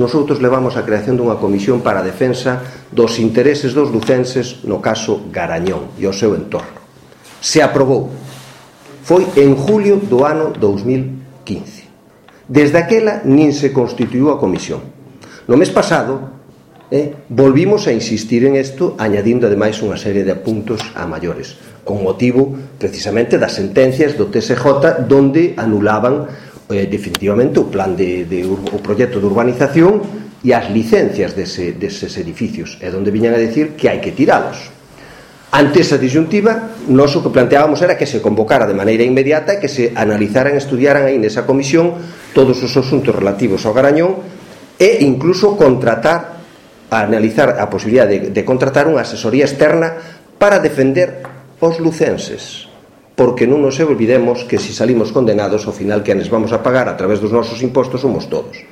Nosotros levamos a creación dunha comisión para a defensa dos intereses dos lucenses no caso Garañón e o seu entorno. Se aprobou. Foi en julio do ano 2015. Desde aquela nin se constituiu a comisión. No mes pasado volvimos a insistir en isto, añadindo ademais unha serie de puntos a maiores, con motivo precisamente das sentencias do TSJ donde anulaban definitivamente o plan o proxecto de urbanización e as licencias deses edificios, e donde viñan a decir que hai que tiralos. Ante esa disyuntiva, nós o que planteábamos era que se convocara de maneira inmediata e que se analizaran e estudiaran aí nesa comisión todos os asuntos relativos ao Garañón e incluso analizar a posibilidade de contratar unha asesoría externa para defender os lucenses, porque non nos olvidemos que se salimos condenados, ao final quenes vamos a pagar a través dos nosos impostos somos todos.